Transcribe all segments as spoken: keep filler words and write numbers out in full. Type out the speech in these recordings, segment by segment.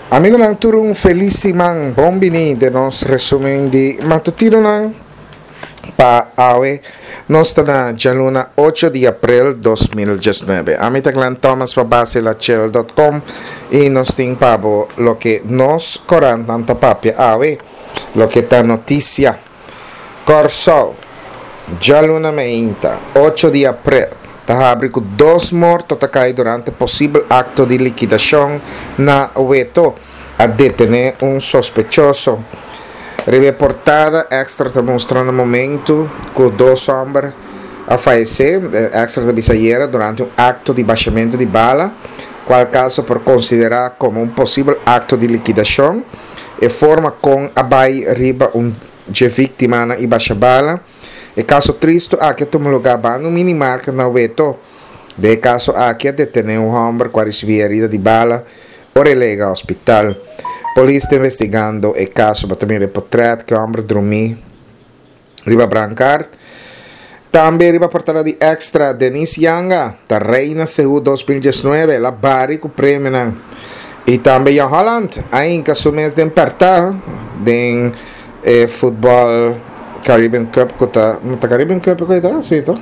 Amigonan tur un felis siman, bon bini den nos resumen di matutinonan pa awe. Nos ta na djaluna ocho di aprel dos mil diesnuebe. Ami ta Glenn Thomas pa basilachel dot com i nos tin pa bo loke nos korantnan ta papia awe, loke ta notisia. Kòrsou, djaluna meinta, ocho di aprel, ta habri ku dos morto ta kai durante posibel akto di likidashon na Weto. A detené un sospechoso. Riba e portada Extra ta mustra na momentu ku dos hòmber a fayesé. Extra ta bisa ayera durante un akto di bashamentu di bala, kual kaso por konsiderá komo un posibel akto di likidashon. E forma kon a bai riba un dje víktimanan i basha bala. E kaso tristu aki a tuma lugá banda un minimarket na Weto. Den e kaso aki a detené un hòmber ku a risibí herida di bala ora el a yega hospital. Polis ta investigando e kaso. Bo ta mira e potrèt ku e hòmber drumí riba brankart. Tambe riba portada di Extra, Denise Yanga ta reina Seú dos mil diesnuebe, el a bari ku premionan. I tambe Jan Holland a hinka su mes den pèrtá den e futbòl Caribbean Cup ku ta, no ta Caribbean Cup ku e ta? Sí toch?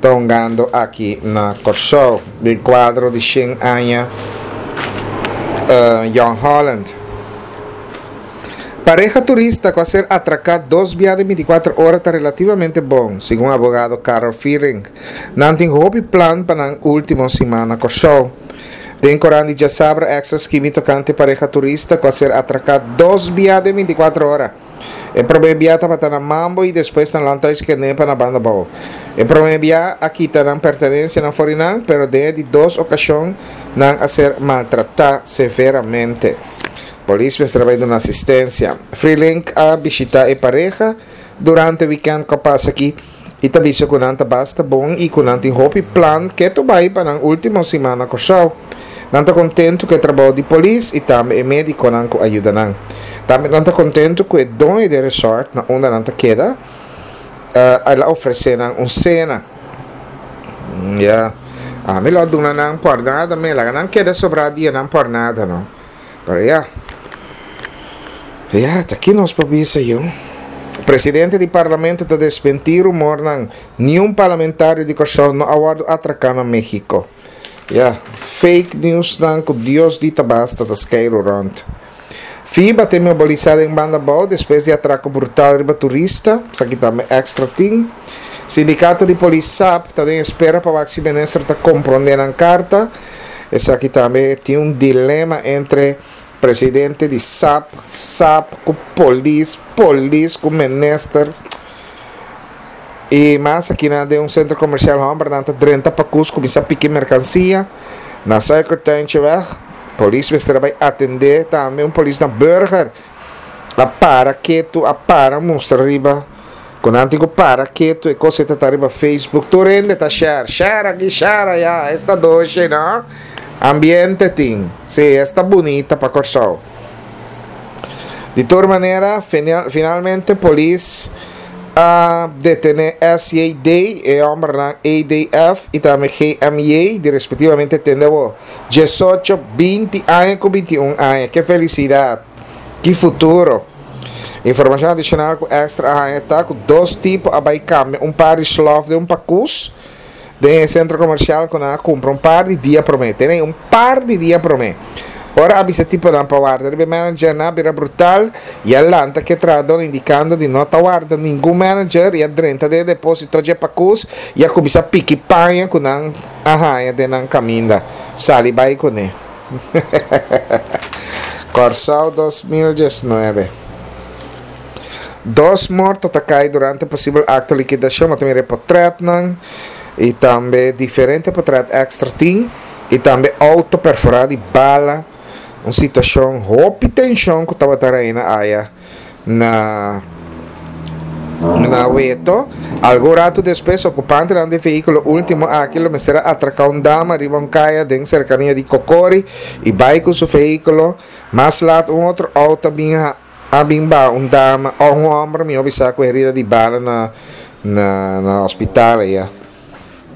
Ta hungando aki na Kòrsou den kuadro di shen aña Jong Holland. Pareha turista ku a ser atraká dos bia den bintikuater ora ta relativamente bon, segun abogado Karel Vierink. Nan tin hopi plan pa nan último siman na Kòrsou. Den korant di djasabra Extra skibi tokante pareha turista ku a ser atraká dos bia den bintikuater ora. E promé bia tabata na Mambo i despues na Landhuis Kenepa na Banda Bou. E promé bia a kita nan pertenensianan for di nan, pero den e di dos okashon nan a ser maltratá severamente. Polis mester a bai duna asistensia. Freelink a bishitá e pareha durante wikènt ku a pasa aki i ta bisa ku nan ta basta bon i ku nan tin hopi plan ketu bai pa nan último siman na Kòrsou. Nan ta kontentu ku e trabou di polis i tambe e médikonan ku a yuda nan. Tambe nan ta kontentu ku e doño di e resort na unda nan ta keda el a ofresé nan un sena. Ya, ami lo a duna nan por nada me, laga nan keda sobrá dianan por nada no. Pero ya, ya, ta ki nos por bisa yu. Presidente di Parlamento ta desmentí rumornan, niun parlamentario di Kòrsou no a wòrdu atraká na México. Ya, fake newsnan ku Dios di ta basta ta skeiru rònt. FIBA ta mobilisá den banda abou despues di atrako brutal riba turista, esaki tambe Extra tin. Sindikato di polis sap ta den espera pa wak si minister ta komprondé nan karta. Esaki tambe tin un dilema entre presidente di sap, sap ku polis, polis ku minister. I mas akinan den un sentro komersial hòmbernan ta drenta pakus kuminsá piki merkansia na Suikertuintjeweg. Polis mester a bai atendé tambe un polis na Burger a para ketu a para mustra riba ku nan tin ku para ketu e kos ei ta ta riba Facebook tur hende ta share share aki share aya esta doshi no ambiente tin si esta bunita pa Kòrsou. Di tur manera finalmente polis a detene S J D, e hombernan A D F y tambe G M J di respectivamente tende awo diesocho, binti aña cu binti un aña. Ke felicidad! Ki futuro! Informacion adicional cu Extra a haña ta cu dos tipo a bay cambia un par di slof den un pacus den e centro comercial cu nan a cumpra un par di dia prome. Tene un par di dia prome. Ora a bisa e tiponan pa warda riba e manager, nan a bira brutal y a lanta cu e trahador indicando di no ta warda ningun manager y a drenta den e deposito dje pacus y a cuminsa piki paña cu nan a haña den nan caminda. Sali bay cune. Kòrsou dos mil diesnuebe. Dos morto ta kai durante posibel akto likidashon. Bo ta mira e potretnan i tambe diferente potret èkstra tin i tambe outo perforá di bala. Un situashon hopi tenshon ku tabata reina aya na na Weto. Algun ratu despues okupantenan di e vehíkulo último aki lo mester a atraká un dama riba un kaya den serkania di Kokori i bai ku su vehíkulo. Mas lat un otro outo a bin A bin ba un dama o un homber mi bisa cu herida di bala na na na hospital aya.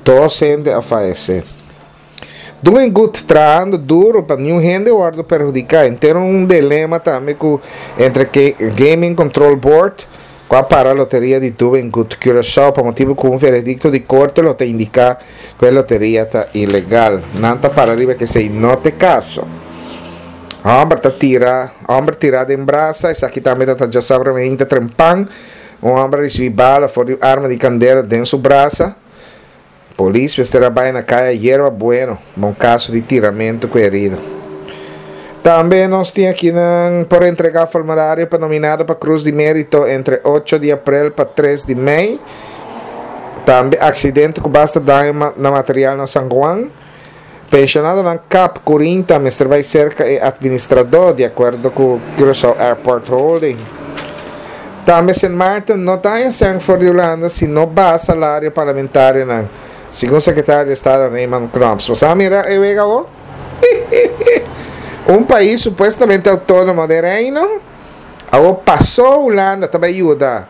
Dos hende a fayece. Doing Good trahando duro pa ningun hende wordo perhudica. Tin un dilema tambe cu entre Gaming Control Board cu a para loteria di Doing Good Curaçao pa motibo cu un veredicto di corte lo ta indica cu e loteria ta ilegal. Nan ta para riba cu esey no ta caso. Homber ta tira, homber tira den brasa, esaki tambe ta diasabra trempan. Un homber a ricibi bala for di arma di candela den su brasa. Polis mester a bay na Caya Yerba Bueno, un caso di tiramento cu herido. Tambe nos tin aki na, por entrega formulario pa nominado pa Cruz di Merito entre ocho di april pa tres di mei. Tambe accidente cu basta daño na material na San Juan. Pensionadonan Cap Corinta mester bay cerca e administrador di acuerdo cu Curaçao Airport Holding. Tambe Sint Maarten no ta haya for di Hulanda si no baha salario parlamentarionan. Segun secretario di Estado Raymond Knops. Bo a mira e wega? Un pais supuestamente autonomo di Reino, awor paso Hulanda tambe yuda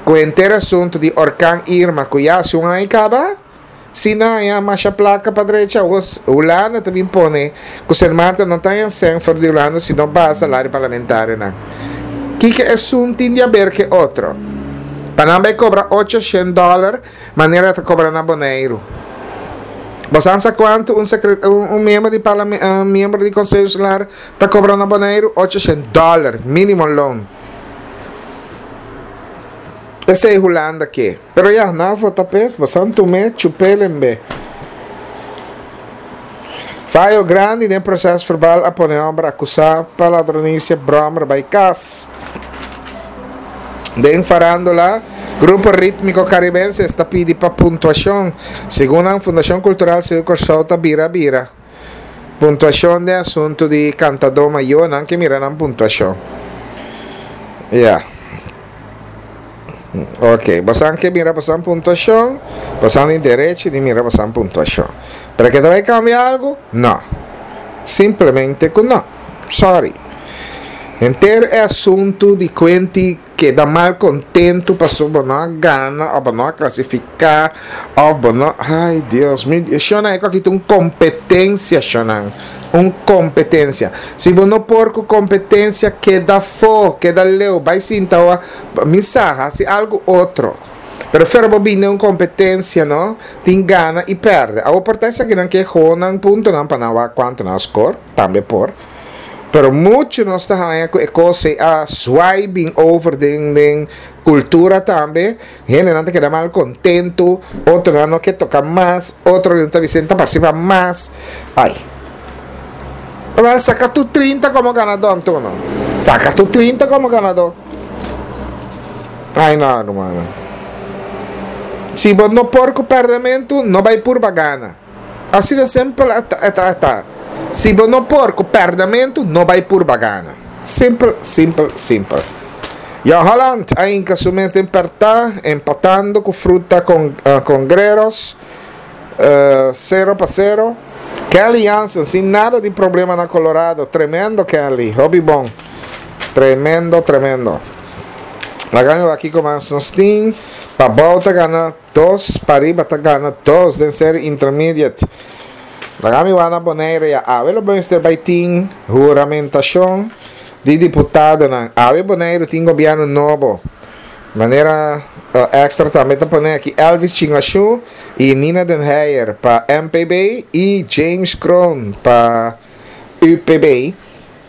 cu henter asunto di orkan Irma, cu ya un aña caba, si no ya mas placa pa drecha, Hulanda tambe pone cu Sint Maarten no ta haya for di Hulanda si no baha salario parlamentarionan. Kico esun tin di haber cu otro? Pa nan bay cobra ochocientos dollar, manera ta cobra na Boneiro. Bo sa cuanto un, un, un miembro di parlamento, un miembro di Conseho Insular ta cobra na Boneiro? ochocientos dollar, minimum loan. Esey Hulanda aki. Pero ya, nan vota p'e, bo tuma, chupelembe. Fayo grandi den proceso verbal a pone homber acusa pa ladronicia brommer bay cas. Den farándula, Grupo Ritmico Caribense ta pidi pa puntuacion. Segun e Fundacion Cultural Seú Kòrsou ta bira bira. Puntuacion di asunto di cantador mayor, nan ke mira nan puntuacion. Yeah. Ok, bo ke mira bo puntuacion, bo tin derecho di mira bo puntuacion. Pero cu bay cambia algo? No. Simplemente cu no. Sorry. Henter e asunto di cuenti keda mal contento paso bo no gana of no clasifica of no. Ay, Dios mi, shona, e aki un competencia, shona, un competencia. Si bo no por cu competencia, keda afo, keda leu, bay sinta misa, haci algo otro. Pero pero bo bin un competencia, no tin gana y perde. A oportunidad aki nan ke gewoon punto nan pa nan cuanto nan score tambe por. Pero mucho nos ta haya cu e cos a swiping over den den cultura tambe. Hende nan ta keda mal contento, otro no ke toca mas, otro no ta Vicente participa mas. Ay. Wel, saca tur trinta como ganador, anto. Saca tur trinta como ganador. Ay, no, ruman. Si bo no por cu perdimento, no bay purba gana. Asina di simpel, ta, ta. Si bo no por cu perdimento, no bay purba gana. Simpel, simpel, simpel. Ja, Holland, ainda su mes den aperta, empatando cu Fruta con, uh, Congreros, uh, cero pa cero. Kenley Jansen, sin nada di problema na Colorado. Tremendo, Kenley. Hopi bon. Tremendo, tremendo. Laga aki cu mas nos tin. Pabou ta gana dos, pariba ta gana dos, den serie intermediate. Laga mi wak na Bonaire ya. Awe lo mester bay tin huramentacion di diputadonan. Awe Bonaire tin gobierno nobo. Manera uh, Extra tambe ta pone aki Elvis Chingashu y Nina Den Heyer pa M P B y James Kroon pa U P B.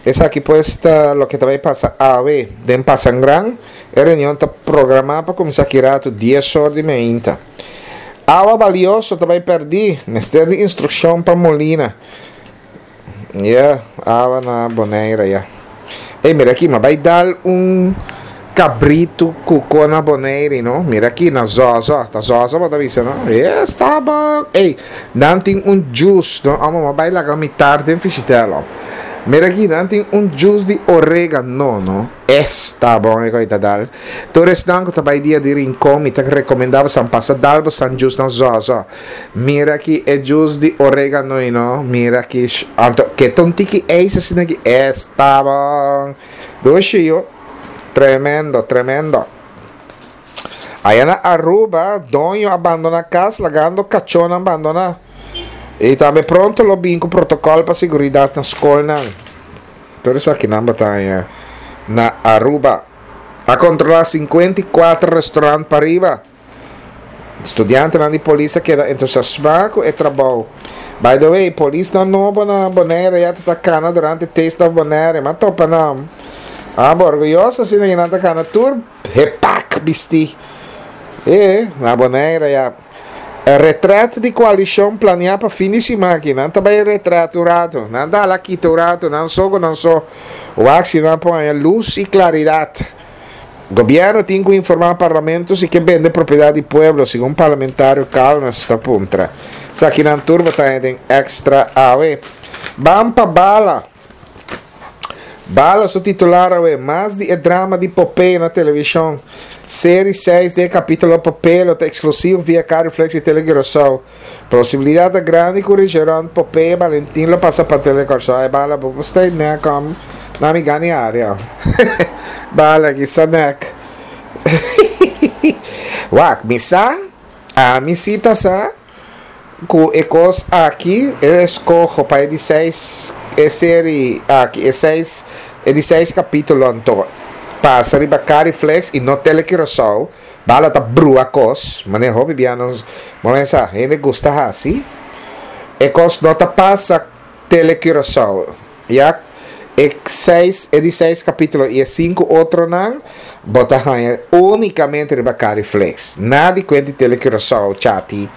Esaki pues ta loke tambe ta pasa awe den Pasangran. E reunion ta programa pa cuminsa aki rato dies or di mainta. Awa valioso tambe perdi. Mester di instruccion pa Molina. Yeah, awa na Bonaire, yeah. Ei, mira aki, m'a bay dal un cabrito cu na Bonaire, no? Mira aki na Zozo, ta Zozo, bo ta bisa, no? Yes, ta bon. Ei, nan tin un juice, no? Amo, m'a bay laga mitar den fishitelo. Mira aki, nan tin un juice di oregano, no? Esta bon e coita dal. Tur esnan cu ta bay dia di Rincon, mi ta recomenda boso pasa dal boso juice na Zozo. Mira aki e juice di oregano, no? Mira aki, anto, cu ta un tiki ijs asina aki, esta bon. Dushi, yo. Tremendo, tremendo. Aya na Aruba, doño a bandona cas, lagando cachonan bandona. I tambe pronto lo bin ku protokòl pa seguridat na skolnan. Tur esakinan bo ta haña na Aruba. A kontrolá sinkuenta i kuater restorant pariba. Studiantenan di polis a keda entusiasmá ku e trabou. By the way, polisnan nobo na Bonaire ya ta ta kana durante Taste of Bonaire. M'a topa nan. Abo orguyoso asina ku nan ta kana tur hepak bistí. E, na Bonaire ya. Retret di koalishon planiá pa fin di siman aki. Nan ta bai retret un ratu. Nan ta hala kita un ratu. Nan so ku nan so. Wak si nan por haña lus i klaridat. Gobièrnu tin ku informá parlamento si ke bende propiedat di pueblo, segun parlamentario Calmes ta puntra. Esakinan tur bo ta haña den Extra awe. Ban pa bala. Bala su titular awe, Mas di e drama di Popeye na televishon. Seri seis di e kapítulo Popeye lo ta eksklusivo via Cariflex i Tele Curaçao. Posibilidat ta grandi ku Richeron, Popeye i Balentin lo pasa pa Tele Kòrsou. Ai bala bo por stay nek om na mi gani área. Bala ki sa nek. Wak, mi sa, ami si ta sa ku e kos aki, e eskoho pa e di seis, e seri aki, e seis, e di seis kapítulo anto pasa riba Cariflex i no Tele Curaçao. Bala ta brua kos, manera hopi bia nos bo mesa hende gusta hasi. E kos no ta pasa Tele Curaçao. Ya e seis, e di seis kapítulo i e sinku otronan bo ta haña únikamente riba Cariflex. Nada di kuenta di Tele Curaçao chati.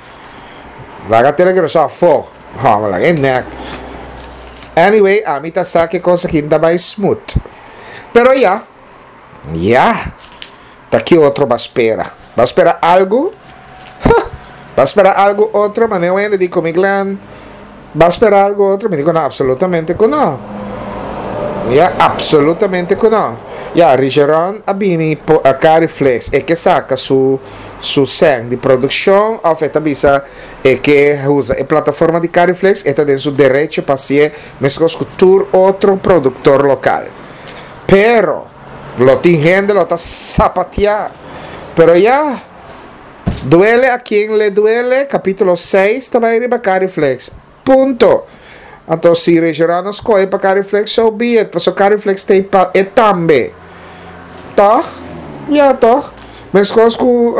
Laga Tele Curaçao afó. Hòmber, laga e nèk. Anyway, ami ta sa ku e kos aki no ta bai smooth. Pero ya, ya. Ta ki otro ba spera? Ba spera algu? Huh! Ba spera algu otro? Manera un hende di ku mi, Glenn, ba spera algu otro? Mi di ku no, absolutamente ku no. Ya, absolutamente ku no. Ya, Rigeron a bini po a Cariflex, e ke saka su su sèn di produkshon òf e ta bisa e ke usa e plataforma di Cariflex, e ta den su derecho pa hasié meskos ku tur otro produktor lokal. Pero. Lo tin hende lo ta sapateá. Pero ya, Duele a quien le duele, capítulo seis ta bai riba Cariflex. Punto. Anto si Regional a scoge pa Cariflex, so be it, pasobra Cariflex ta ei pa e tambe. Toch? Ya, toch? Meskos ku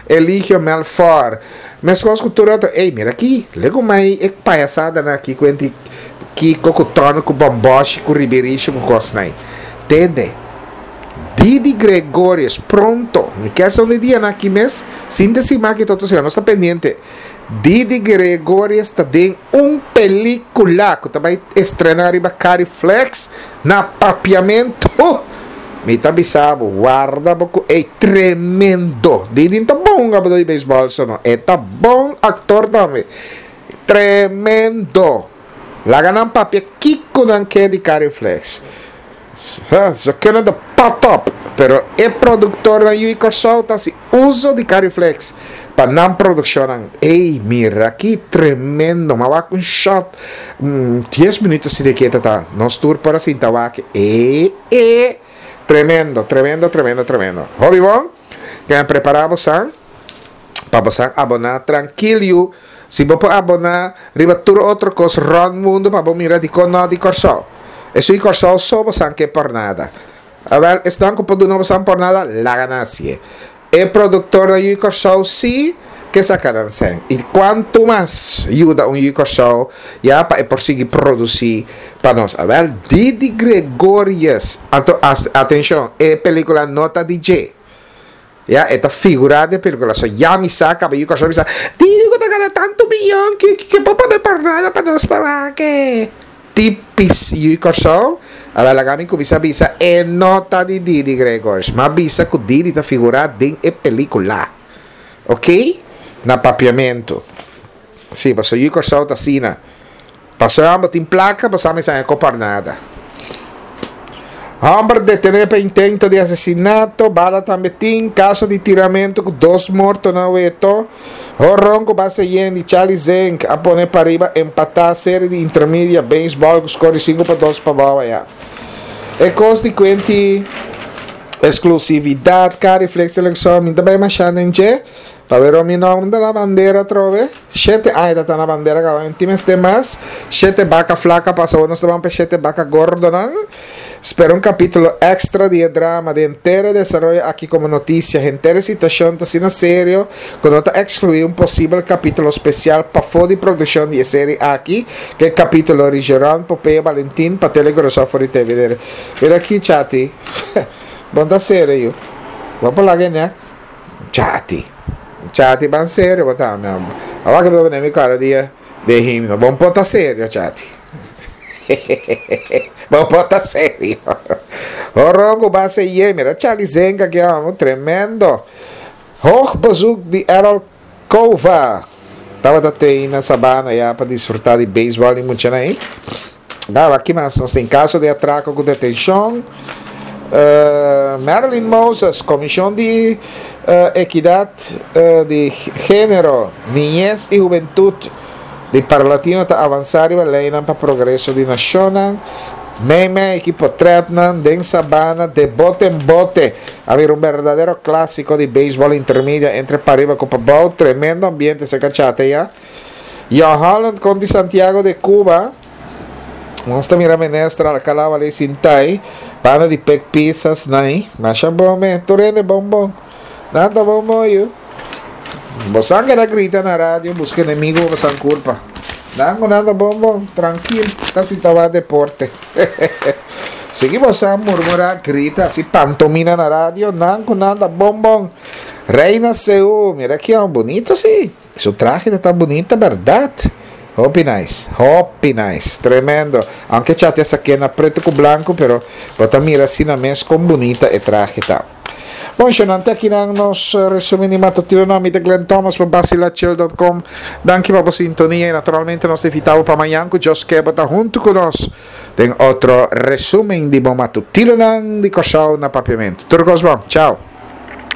Eligio Melfor, meskos ku tur otro. Ey, mira aki, lego mai e payasadanan aki ku enti kiko ku Tòno ku Bòmbòshi ku Ribirisho ku kosnan ei. Tende, Didi Gregorius, pronto, mi kier sa un di dianan aki mes, sinti siman aki toto siman, nos ta pendiente. Didi Gregorius ta den un pelicula cu ta bay estrena riba Cariflex na Papiamento. Mi ta bisa bo, warda bo cu ey tremendo. Didi no ta bon hungador di baseball so no, e ta bon actor tambe. Tremendo. Laga nan papia kico nan ke di Cariflex. Ze kunnen de pot op, pero e productornan yu i Kòrsou ta hasi uso di Cariflex pa nan produccionnan. Ey, mira ki tremendo! M'a wak un shot, un dies minuut asina ke ta ta. Nos tur por a sinta wak e e tremendo, tremendo, tremendo, tremendo. Hopi bon, kende prepara bosan pa bosan aboná trankil yu. Si bo por aboná riba tur otro kos rònt mundu pa bo mira dikon no di Kòrsou. Esun di Kòrsou so bosan ke pòrnada. Awèl, esnan ku por duna bosan pòrnada, laga nan hasié. E produktornan yu di Kòrsou sí ke saka nan sèn. I kuantu mas yuda un yu di Kòrsou ya pa e por sigui produsí pa nos. Awèl, Didi Gregorius, anto atenshon, e pelíkula no ta di dje. Ya, e ta figurá den pelikula. So ya mi sa kaba yu Kòrsou bisa, Didi ku ta gana tantu miyon ke ke por pone por nada pa nos por wak e. Tipis yu Kòrsou, a laga mi kuminsá bisa e no ta di Didi Gregors. M'a bisa ku Didi ta figurá den e pelikula. Oké? Na papiamentu. Sí, pasobra yu Kòrsou ta asina. Pasobra bo tin plaka, bo sa mi sa e ko por nada. Homber detené pa intento di asesinato, bala tambe tin, kaso di tiramentu ku dos morto na Weto. Horon ku base yen di Charlie Zink a pone pariba empatá seri di intermedia beisbòl ku skor di sinku pa dos pa bou aya. E kos di kuenti eksklusividat, Cariflex Selekshon, mi ta bai mashá den dje. Pa wera mi nòmber na bandera atrobe. Shete aña ta na bandera kaba. Tin mester mas. Shete baka flaka pasa, nos ta pa shete baka gordonan. Spera un kapítulo èkstra di drama di henter desaroyo aki komo notisia. Henter situashon ta asina serio ku no ta ekskluí un posibel kapítulo spesial pafó di produkshon di e serie aki, ku e kapítulo di Geron Popeye Valentin pa Telecuraçao for T V. Mira aki, Chati. Bon, ta serio. Ban laga, ne? Chati. Chati, ban serio, bota, mi. Awor ku mi mi kara dia de himno. Bon, pota serio, Chati. Bon, pota serio. Orongo base ye, mira Charlie Zenga ku amo, tremendo. Hoog bezoek di Errol Cova. Tabata tei na Sabana ya pa disfrutá di beisbòl i mucho ei. Nada, aki mas nos tin kaso di atrako ku detenshon. Uh, Marilyn Moses, Komishon di uh, Ekidat uh, di Género, Niñez i Hubentut di Parlatino ta avansá e lei pa progreso di nashon. Meme, ekipo Tretnan, den Sabana, de bote en bote. A ver, un berdadero klásiko di beisbòl intermedia entre Pariba ku Pabou. Tremendo ambiente, se kachate ya. Jan Holland kontra Santiago de Cuba. Nos ta mira minister Alcalá ali sintai. Pana di pek pisas nai. Masha bon me. Turene bon bon. Nada bon bon yu. Bosan que grita na radio, busca enemigo, bosan culpa. Nango nada bon bon, trankil. Ta sintaba deporte. Seguimos a murmurar, grita, así pantomina na radio. Nango nada bon bon. Reina Seú, mira aki, un bunita, sí. Su trahe ta bunita, berdat? Hopi nice, hopi nice, tremendo. Aunke Chati esaki na pretu ku blanku, pero bo ta mira asina mes kon bunita e trahe ta. Bon, shonante, aki na nos resumen di matutino, mi ta Glenn Thomas pa basilachill punto com. Danki pa e sintonia i naturalmente nos ta invitá pa mañan ku Dios ke ta huntu ku nos den otro resumen di bo matutino di Kòrsou na Papiamentu. Tur kos bon. Chao.